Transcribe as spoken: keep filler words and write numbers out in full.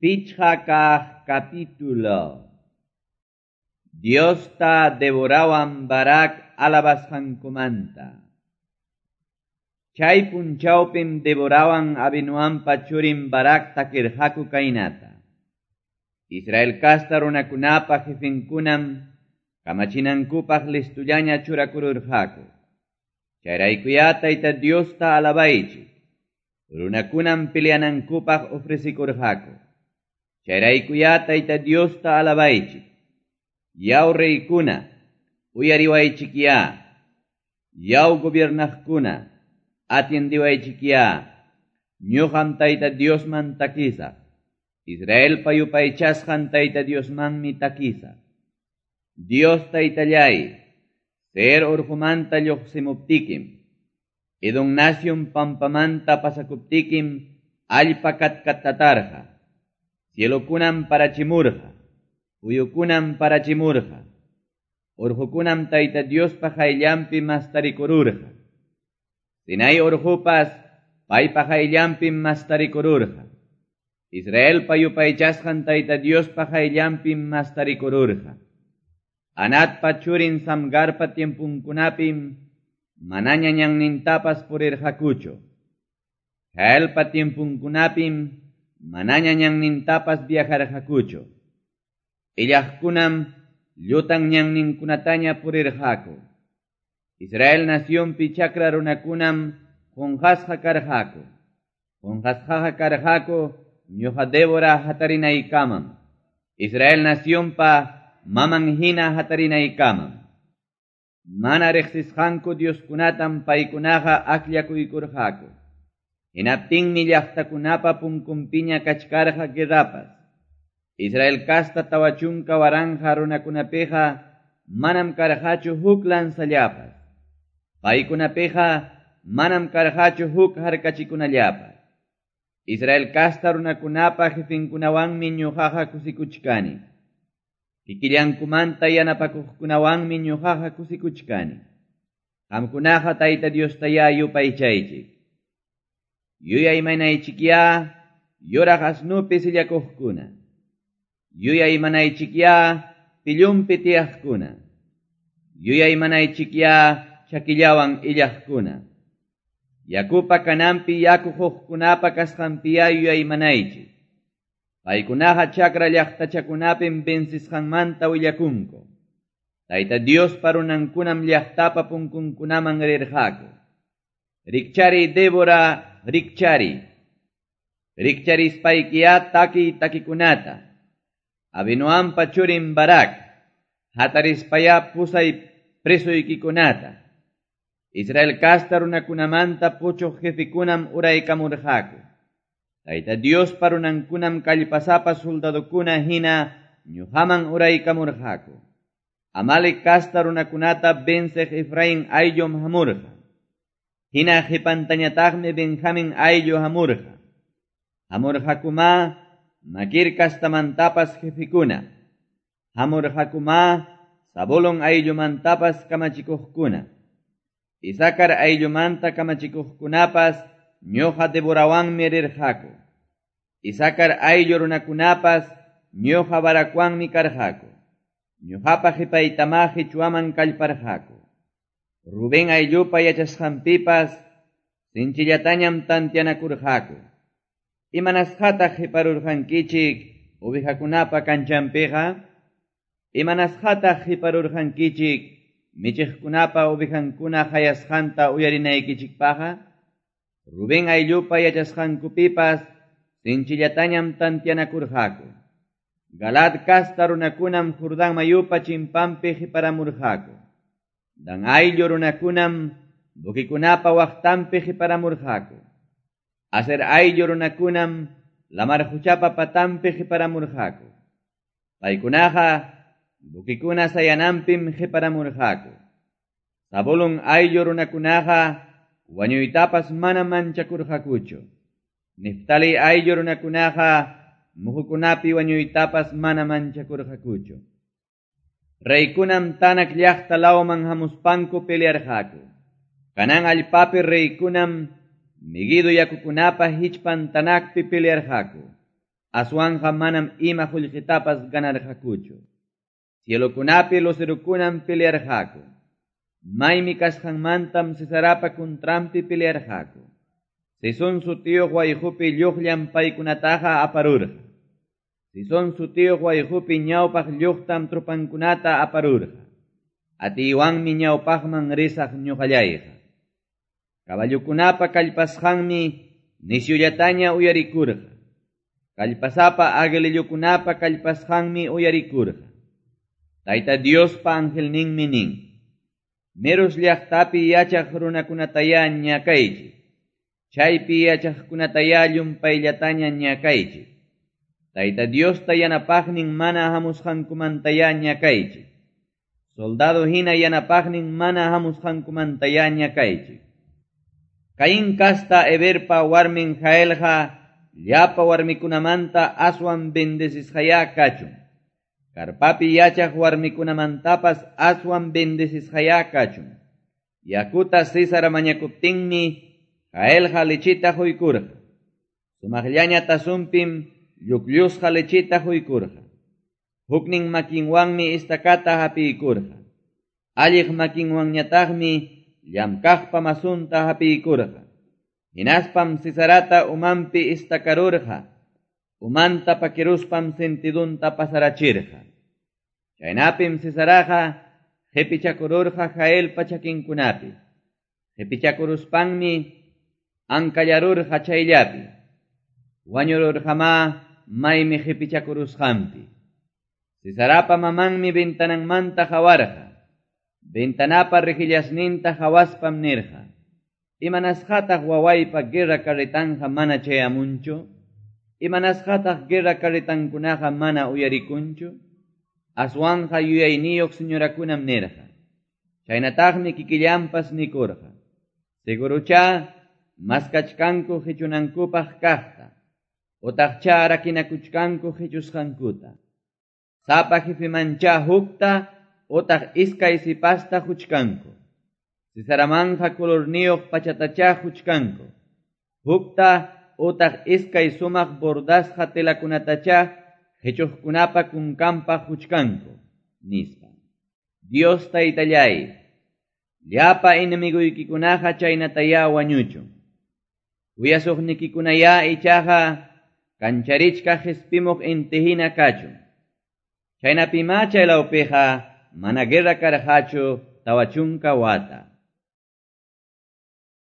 Pichqa kaq capítulo. Diosta Deborawan Barak alabasqankumanta. Chay punchawpim Deborawan Abinoampa churin Barak takirqaku kaynata. Israel kasta runakunapa jefenkunam kamachinankupaq listullaña churakururqaku. Chayraykuyá Tayta Diosta alabaychik. Runakunam peleanankupaq ofrecikurqaku. Chayraykuyá Tayta Diosta alabaychik. Yaw reykuna, uyariwaychikyá. Yaw gobiernaqkuna, atiendiwaychikyá. Ñuqam Tayta Diosman takisaq. Israelpa yupaychasqan Tayta Diosmanmi takisaq. Dios Taytallay, Seir urqumanta lluqsimuptikim, Edom nación pampamanta pasakuptikim, allpa katkatatarqa. Cielokunam parachimurqa, uyukunam parachimurqa, urqukunam Tayta Diospa qayllanpi mastarikururqa. Sinai urqupas paypa qayllanpim mastarikururqa. Israelpa yupaychasqan Tayta Diospa qayllanpim mastarikururqa. Anatpa churin Samgarpa tiempunkunapim manaña ñannintapas purirqakuchu. Jaelpa tiempunkunapim manaña ñannintapas viajarqakuchu. Illaqkunam llutan ñanninkunataña purirqaku. Israel nacionpi chakra runakunam qunqasqa karqaku. Qunqasqaqa karqaku ñuqa Débora hatarinaykamam. Israel nacionpa maman hina hatarinaykamam. Mana riqsisqanku Dioskunatam paykunaqa akllakuykurqaku. Hinaptinmi llaqtakunapa punkunpiña kachkarqa guerrapas. Israel kasta tawa chunka waranqa runakunapiqa manam karqachu huk lanzallapas. Paykunapiqa manam karqachu huk harkachikunallapas. Israel kasta runakunapa jefinkunawanmi ñuqaqa kusikuchkani. Kikillankumanta yanapakuqkunawanmi ñuqaqa kusikuchkani. Qamkunaqa Tayta Diostayá yupaychaychik. Yuyaymanaychikyá yuraq asnupi sillakuqkuna. Yuyaymanaychikyá pillunpi tiyaqkuna. Yuyaymanaychikyá chakillawan illaqkuna. Yakupa kananpi yaku huqkunapa kasqanpiyá yuyaymanaychik. Paykunaqa chakra llaqtachakunapim vencisqanmanta willakunku. Tayta Diospa runankunam llaqtapa punkunkunaman rirqaku. Rikchari Débora, rikchari. Rikcharispaykiyá takiy takikunata. Abinoampa churin Barak, hatarispayá pusay presoykikunata. Israel kasta runakunamanta puchuq jefikunam uraykamurqaku. Tayta Diospa runankunam kallpasapa soldadokuna hina ñuqaman uraykamurqaku. Amalek kasta runakunata venceq Efraín ayllum hamurqa. Hina qipantañataqmi Benjamin ayllu hamurqa. Hamurqakumá Makir kastamantapas jefikuna. Hamurqakumá Zabulón ayllumantapas kamachikuqkuna. Isakar ayllumanta kamachikuqkunapas ñuqa Deborawanmi rirqaku. Isakar ayllu runakunapas ñuqa Barakwanmi karqaku. Ñuqapa qipaytamá qichwaman kallparqaku. Rubén ayllupa yachasqanpipas sinchillatañam tantianakurqaku. Imanasqataq qiparurqankichik ovejakunapa kanchanpiqa? Imanasqataq qiparurqankichik michiqkunapa ovejankuna hayasqanta uyarinaykichikpaqa? Rubén ayllupa yachasqankupipas sinchillatañam tantianakurqaku. Galad kasta runakunam Jordán mayupa chimpanpi qiparamurqaku. Dan ayllu runakunam buquikunapa waqtanpi qiparamurqaku. Aser ayllu runakunam lamar quchapa patanpi qiparamurqaku. Paykunaqa buquikuna sayananpim qiparamurqaku. Zabulón ayllu runakunaqa wañuytapas mana manchakurqakuchu. Neftali ayllu runakunaqa muhukunapi wañuytapas mana manchakurqakuchu. Reykunam Tanak llaqta lawman hamuspanku pelearqaku. Kanan allpapi reykunam Meguido yakukunapa hichpan Tanakpi pelearqaku. Aswanqa manam ima qullqitapas ganarqakuchu. Cielokunapi lucerokunam pelearqaku. Maymi kasqanmantam Sisarapa contranpi pelearqaku. Sison sutiyuq wayqupi lluqllam paykunataqa aparurqa. Sison sutiyuq wayqupi ñawpaq lluqtam tropankunata aparurqa. Atiywanmi ñawpaqman risaq ñuqallayqa. Caballokunapa kallpasqanmi nisyullataña uyarikurqa. Kallpasapa aguilillukunapa kallpasqanmi uyarikurqa. Tayta Diospa angelninmi nin. Meros llaqtapi yachaq runakunataya ñakaychik. Chaypi yachaqkunataya llumpayllataña ñakaychik. Tayta Diosta yanapaqnin mana hamusqankumantaya ñakaychik. Soldado hina yanapaqnin mana hamusqankumantaya ñakaychik. Caín kasta Heberpa warmin Jaelqa llapa warmikunamanta aswan bendecisqaya kachun. Karpapi yachaq warmikunamantapas aswan bendecisqaya kachun. Yakuta Sísara mañakuptinmi Jaelqa lechita quykurqa. Sumaqllaña tasunpim llukllusqa lechita quykurqa. Huknin makinwanmi istakata hapiykurqa. Alliq makinwanñataqmi llamkaqpa masunta hapiykurqa. Hinaspam Sisarata umanpi istakarurqa. Umanta pakiruspam sentidunta pasarachirqa. Chaynapim Sisaraqa qipichakururqa Jaelpa chakinkunapi. Qipichakuruspanmi ankallarurqa chayllapi. Wañururqamá maymi qipichakurusqanpi. Sisarapa mamanmi ventananmanta hawarqa. Ventanapa rejillasninta hawaspam nirqa. Imanasqataq wawaypa guerra carretanja mana chayamunchu? Imanasqataq guerra carretankunaqa mana uyarikunchu? Aswanja yuyayniyuq señorakunam nirqa. Chaynataqmi kikillanpas nikurqa. Segurucha maskachkanku qichunankupaq kaqta. Utaqcha rakinakuchkanku qichusqankuta. Sapa jefemancha hukta utaq iskay sipasta huchkanku. Sisaramanja colorniyuq pachatacha huchkanku. Hukta utaq iskay sumaq bordasqa telakunatacha qichuqkunapa kunkanpaq huchkanku, nispa. Dios taytallay, llapa enemiguykikunaqa chaynataya wañuchun. Kuyasuqnikikunaya ichaqa kancharichka qispimuq intihina kachun. Chaynapima chaylawpiqa mana guerra karqachu tawa chunka wata.